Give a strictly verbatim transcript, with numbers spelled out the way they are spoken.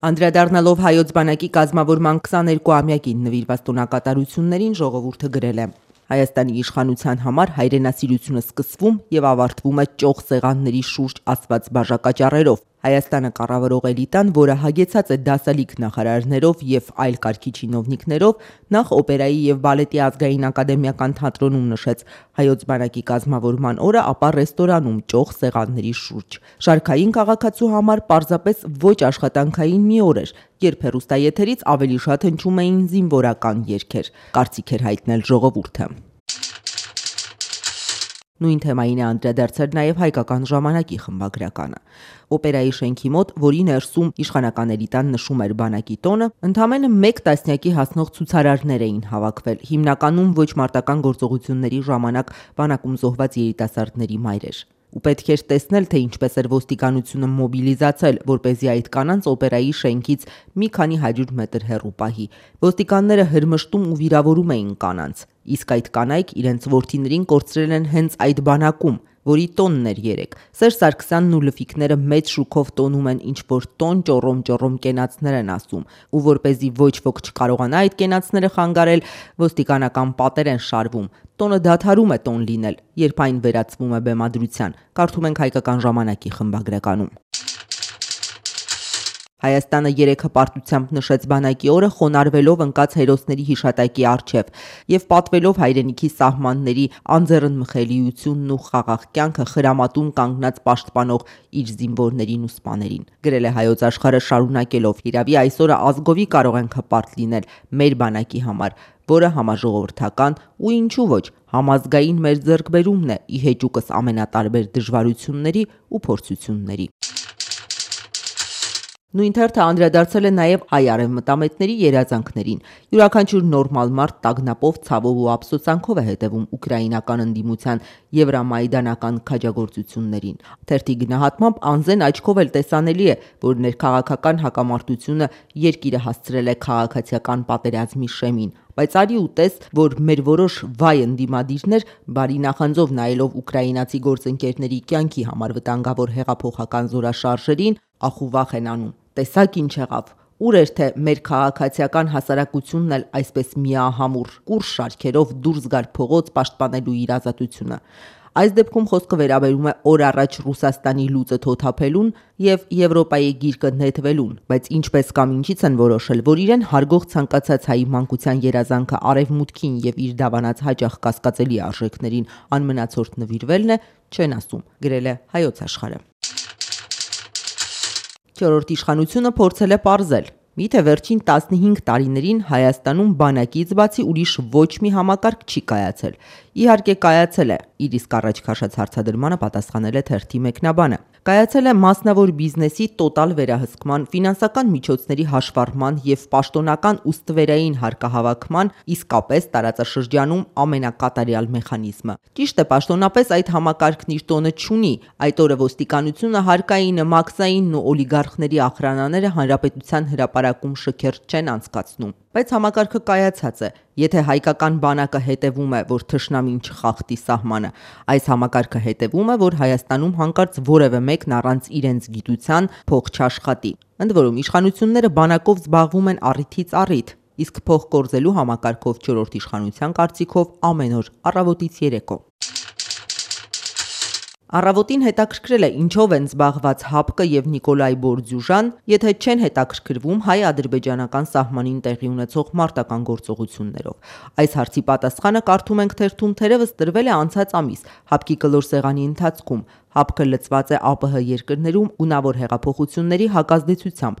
Անդրադառնալով հայոց բանակի կազմավորման քսաներկուամյակին նվիրված տոնակատարություններին ժողովուրդը գրել է. Հայաստանի իշխանության համար հայրենասիրությունը սկսվում եւ ավարտվում է ճոխ սեղանների շուրջ ասված բաժակաճառերով։ Հայաստանը կառավարող էլիտան, որը հագեցած է դասալիկ նախարարներով եւ այլ կարգի չինովնիկներով, նախ օպերայի եւ բալետի ազգային ակադեմիական թատրոնում նշեց հայոց բանակի կազմավորման օրը, ապա ռեստորանում ճոխ սեղանների շուրջ։ Շարքային քաղաքացու համար պարզապես ոչ աշխատանքային մի օր էր, երբ հեռուստաեթերից ավելի շատ հնչում էին զինվորական երգեր, կարծիք էր հայտնել ժողովուրդը։ Նույն թեմային է անդրադարձել նաև հայկական ժամանակի խմբագրականը։ Օպերայի շենքի մոտ, որի ներսում իշխանական էլիտան նշում էր բանակի տոնը, ընդամենը մեկ տասնյակի հասնող ցուցարարներ էին հավաքվել, հիմնականում ոչ մարտական գործողությունների ժամանակ բանակում զոհված երիտասարդների մայրեր։ Ու պետք էր տեսնել, թե ինչպես էր ոստիկանությունը մոբիլիզացել, որպեսզի այդ կանանց օպերայի շենքից մի քանի հարյուր մետր հեռու պահի։ Ոստիկանները հրմշտում ու վիրավորում էին կանանց, իսկ այդ կանայք իրենց որդիներին կորցրել են հենց այդ բանակում, որի տոնն էր երեկ։ Սերժ Սարգսյանն ու լֆիկները մեծ շուքով տոնում են ինչ-որ տոն ճոռոմ-ճոռոմ կենացներ են ասում, ու որպեսզի ոչ ոք չկարողանա այդ կենացները խանգարել, ոստիկանական պատեր են շարվում։ Տոնը դադարում է տոն լինել, երբ այն վերածվում է բեմադրության, կարդում ենք հայկական ժամանակի խմբագրականում։ Հայաստանը երեկ հպարտությամբ նշեց բանակի օրը, խոնարհվելով ընկած հերոսների հիշատակի առջև եւ պատվելով հայրենիքի սահմանների անձեռնմխելիությունն ու խաղաղ կյանքը խրամատում կանգնած պաշտպանող իր զինվորներին ու սպաներին։ Գրել է Հայոց Աշխարհը շարունակելով. «Իրավի այսօրը ազգովի կարող ենք հպարտ լինել մեր բանակի համար, որը համաժողովրդական ու ինչու ոչ համազգային մեր ձեռքբերումն է ի հեճուկս ամենատարբեր դժվարությունների ու փորձությունների»։ Նույն թերթը անդրադարձել է նաև հայ արևմտամետների երազանքներին։ Յուրաքանչյուր նորմալ մարդ տագնապով, ցավով ու ափսոսանքով է հետևում ուկրաինական ընդդիմության եվրամայդանական քաջագործություններին։ Թերթի գնահատմամբ անզեն աչքով էլ տեսանելի է, որ ներքաղաքական հակամարտությունը երկիրը հասցրել է քաղաքացիական պատերազմի շեմին, բայց արի ու տես, որ մեր որոշ վայ ընդդիմադիրներ բարի նախանձով նայելով ուկրաինացի գործընկերների կյանքի համար վտանգավոր հեղափոխական զորաշարժերին, ախուվախ են անում։ Տեսակ ինչ եղավ, ուր էր թե մեր քաղաքացիական հասարակությունն էլ այսպես միահամուռ կուռ շարքերով դուրս գար փողոց պաշտպանելու իր ազատությունը։ Այս դեպքում խոսքը վերաբերում է օր առաջ Ռուսաստանի լուծը թոթափելուն եւ Եվրոպայի գիրկը նետվելուն, բայց ինչպես կամ ինչից են որոշել, որ իրեն հարգող ցանկացած հայի մանկության երազանքը արևմուտքին եւ իր դավանած հաճախ կասկածելի արժեքներին անմնացորդ նվիրվելն է, չեն ասում, գրել է Հայոց Աշխարհը։ Չորրորդ իշխանությունը փորձել է պարզել. միթե վերջին տասնհինգ տարիներին Հայաստանում բանակից բացի ուրիշ ոչ մի համակարգ չի կայացել։ Իհարկե կայացել է, իր իսկ առաջ քաշած հարցադրմանը պատասխանել է թերթի մեկնաբանը։ Կայացել է մասնավոր բիզնեսի տոտալ վերահսկման, ֆինանսական միջոցների հաշվառման եւ պաշտոնական ու ստվերային հարկահավաքման իսկապես տարածաշրջանում ամենակատարյալ մեխանիզմը։ Ճիշտ է, պաշտոնապես այդ համակարգն իր տոնը չունի, այդ օրը ոստիկանությունը, հարկայինը, մաքսայինն ու օլիգարխների ախրանաները հանրապետության հրապարակում շքերթ չեն անցկացնում։ Բայց համակարգը կայացած է, եթե հայկական բանակը հետևում է, որ թշնամին չխախտի սահմանը, այս համակարգը հետևում է, որ Հայաստանում հանկարծ որևէ մեկն առանց իրենց գիտության փող չաշխատի։ Ընդ որում իշխանությունները բանակով զբաղվում են առիթից առիթ, իսկ փող կորզելու համակարգով չորրորդ իշխանության կարծիքով ամեն օր առավոտից երեկո։ Առավոտին հետաքրքրել է ինչով են զբաղված ՀԱՊԿ եւ Նիկոլայ Բորդյուժան, եթե չեն հետաքրքրվում հայ-ադրբեջանական սահմանին տեղի ունեցող մարտական գործողություններով։ Այս հարցի պատասխանը կարդում ենք թերթում թերևս տրվել է անցած ամիս ՀԱՊԿ-ի կլոր սեղանի ընթացքում։ ՀԱՊԿ-ը լծված է ԱՊՀ երկրներում ունավոր հեղափոխությունների հակազդեցությամբ,